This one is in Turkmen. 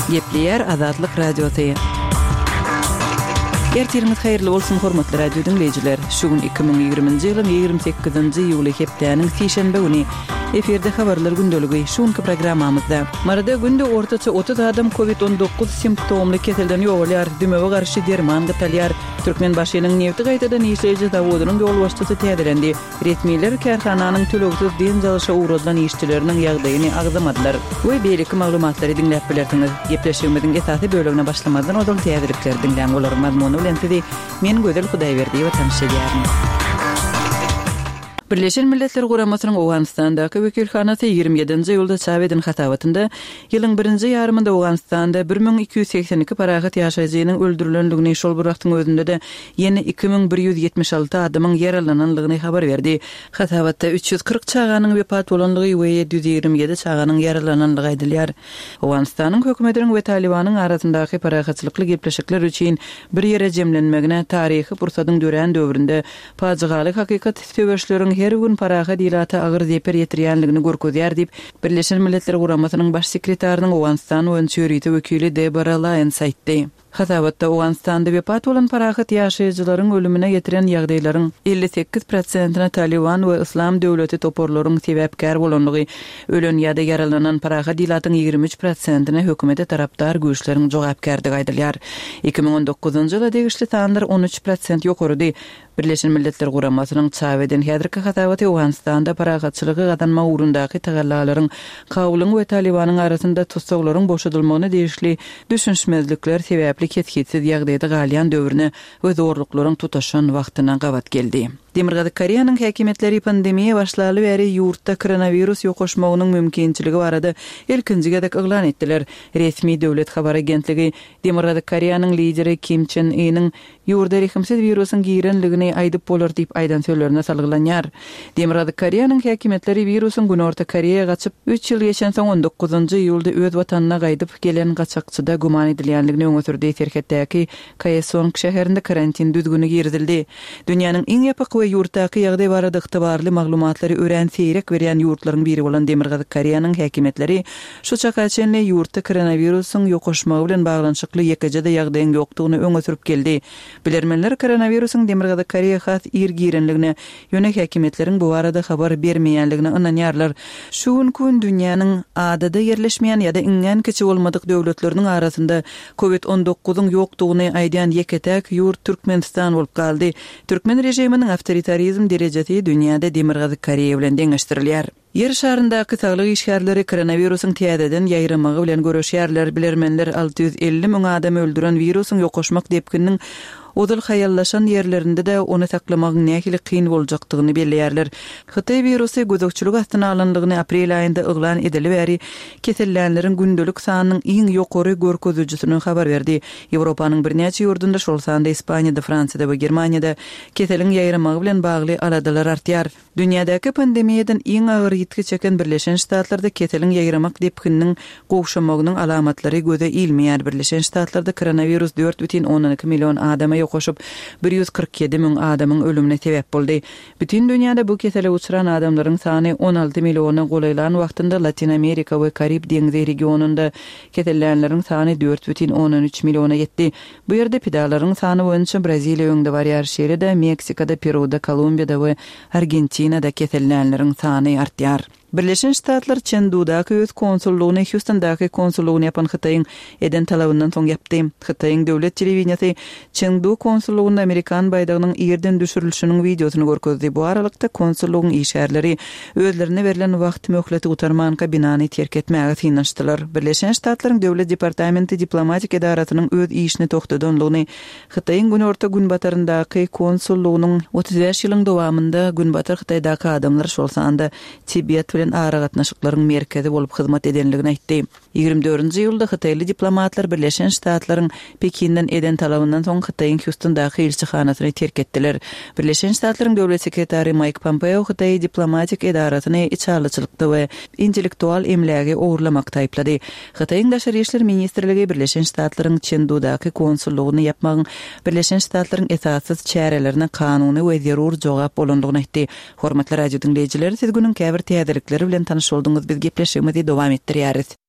Gepleýär Azatlyk Radiosy. Ertiriňiz haýyrly bolsun, hormatly radio diňleýjiler! Şu gün 2020-nji ýylyň 28-nji iýuly hepdäniň sişenbe güni. Efirde habarlar gündeligi. Şu günki programmamyzda. Maryda günde ortaça 30 adam Covid 19 simptomly keselden ýogalýar, dümewe garşy derman gytalýar. Türkmenbaşynyň nebti gaýtadan işleýji zawodynyň ýolbaşçysy täzelendi. Resmiler kärhananyň tölegsiz dynç alyşa ugradylan işçileriniň ýagdaýyny agzamadylar we beýleki maglumatlary diňläp bilersiňiz. Gepleşigimiziň esasy bölegine başlamazdan ozal täzelikleri diňläň, olaryň mazmuny bilen sizi men Gözel Hudaýberdiýewa tanyş edýärin. Birleşen Milletler Guramasynyň Owganystandaky wekilhanasy 27-nji iýulda çap eden hasabatynda ýylyň birinji ýarymynda Owganystanda 1282 parahat ýaşaýjynyň öldürilendigini, şol bir wagtyň özünde-de ýene 2176 adamyň ýaralananlygyny habar berdi. Hasabatda 340 çaganyň wepat bolanlygy we 727 çaganyň ýaralananlygy aýdylýar. Owganystanyň hökümetiniň we Talybanyň arasyndaky parahatçylykly gepleşikler üçin bir ýere jemlenmegine taryhy pursatyň dörän döwründe Pajygaly hakykat söweşleriň her gün parahat ilata agyr zeper ýetirýänligini görkezýär diýip, Birleşen Milletler Guramasynyň Baş sekretarynyň Owganystan boýunça ýörite wekili Debora Laýons aýtdy. Hasabatda Owganystanda wepat bolan parahat ýaşaýjylaryň ölümine getiren ýagdaýlaryň 58 prosentine Talyban we Yslam döwleti toparlaryň sebäpkär bolandygy, ölen ýa-da ýaralanan parahat ilatyň 23 prosentine hökümete tarapdar güýçleriň jogapkärdigi aýdylýar. 2019-njy ýyla degişli sanlar 13 prosent ýokarydy. Birleşen Milletler Guramasynyň çap eden häzirki hasabaty Owganystanda parahatçylygy gazanmak ugrundaky tagallalaryň Kabulyň we Talybanyň arasynda tussaglaryň boşadylmagyna degişli düşünişmezlikler sebäpli kesgitsiz ýagdaýda galýan döwrüne we zorluklaryň tutaşan wagtyna gabat geldi. Demirgazyk Koreýanyň häkimiýetleri pandemiýa başlaly bäri ýurtda koronawirus ýokaşmagynyň mümkinçiligi barada ilkinji gezek yglan etdiler. Resmi döwlet habar agentligi Demirgazyk Koreýanyň lideri Kim Çen Ynyň ýurda rehimsiz wirusyň girenligini aýdyp bolar diýip aýdan sözlerine salgylanýar. Demirgazyk Koreýanyň häkimiýetleri wirusyň Günorta Koreýa gaçyp, üç ýyl geçensoň on dokuzynjy iýulda öz watanyna gaýdyp gelen gaçakçyda güman edilýänligini öňe sürdi. Serhetdäki Kaesong şäherinde karantin düzgüni girizildi. Dünýäniň iň ýapyk we ýurtdaky ýagdaý barada ygtybarly maglumatlary örän seýrek berýän ýurtlaryň biri bolan Demirgazyk Koreýanyň häkimiýetleri şu çaka çenli ýurtda koronawirusyň ýokaşmagy bilen baglanyşykly ýekeje-de ýagdaýyň ýokdugyny öňe sürüp geldi. Bilermenler koronawirusyň Demirgazyk Koreýa has ir girenligine, ýöne häkimiýetleriň bu barada habar bermeýänligine ynanýarlar. Şu günki gün dünýäniň adada ýerleşmeýän ýa-da iňňän kiçi bolmadyk döwletleriniň arasynda Kowid on dokuzyň ýokdugyny aýdýan ýeke-täk ýurt Türkmenistan bolup galdy. Türkmen režiminiň awtoritarizm derejesi dünýäde Demirgazyk Koreýa bilen deňeşdirilýär. Ýer şaryndaky saglyk işgärleri koronawirusyň täzeden ýaýramagy bilen göreşýärler. Bilermenler 650 müň adamy öldüren wirusyň ýokaşmak depgininiň ozal haýallaşan ýerlerinde-de ony saklamagyň nähili kyn boljakdygyny belleýärler. Hytaý wirusy gözegçilik astyna alyndygyny aprel aýynda yglan edeli bäri kesellänleriň gündelik sanynyň iň ýokary görkezijisini habar berdi. Ýewropanyň birnäçe ýurdunda, şol sanda Ispaniýada, Fransiýada we Germaniýada keseliň ýaýramagy bilen bagly aladalar artýar. Dünýädäki pandemiýadan iň agyr ýitgi çeken Birleşen Ştatlarda keseliň ýaýramak depgininiň gowşamagynyň alamatlary göze ilmeýär. Birleşen Ştatlarda koronawirus 4,2 million adama ýokaşyp, 147 müň adamyň ölümine sebäp boldy. Bütin dünýäde bu kesele uçran adamlaryň sany 16 milliona golaýlan wagtynda Latyn Amerika we Karib deňzi regionynda kesellänleriň sany 4,3 milliona ýetdi. Bu ýerde pidalaryň sany boýunça Braziliýa öňde barýar, şeýle-de Meksikada, Peruda, Kolumbiýada we Argentinada kesellänleriň sany artýar. Birleşen Ştatlar Çendudaky öz konsullygyny Hýustondaky konsullygyny ýapan Hytaýyň eden talabyndan soň ýapdy. Hytaýyň döwlet telewideniýesi Çengdu konsullygynda amerikan baýdagynyň ýerden düşürilişiniň wideosyny görkezdi. Bu aralykda, konsullygyň işgärleri özlerine berlen wagt möhleti gutarmanka binany terk etmäge synanyşdylar. Birleşen Ştatlaryň Döwlet departamenti diplomatik edarasynyň öz işini togtadanlygyny Hytaýyň günorta-günbataryndaky konsullygynyň 35 ýylyň dowamynda Günbatar Hytaýdaky adamlar, şol sanda Tibet bilen aragatnaşyklaryň merkezi bolup hyzmat edenligini aýtdy. 24-nji iýulda hytaýly diplomatlar Birleşen Ştatlaryň Pekinden eden talabyndan soň Hytaýyň Hýustondaky ilçihanasyny terk etdiler. Birleşen Ştatlaryň döwlet sekretary Maýk Pompeo Hytaýy diplomatik edarasyny içalyçylykda we intellektual emlägi ogurlamakda aýyplady. Hytaýyň Daşary işler ministrligi Birleşen Ştatlaryň Çendudaky konsullygyny ýapmagyň Birleşen Ştatlaryň esassyz çärelerine kanuny we zerur jogap bolandygyny aýtdy. Hormatly radio diňleýjiler, siz günüň käbir täzelikleri bilen tanyş bolduňyz, biz gepleşigimizi dowam etdirýäris.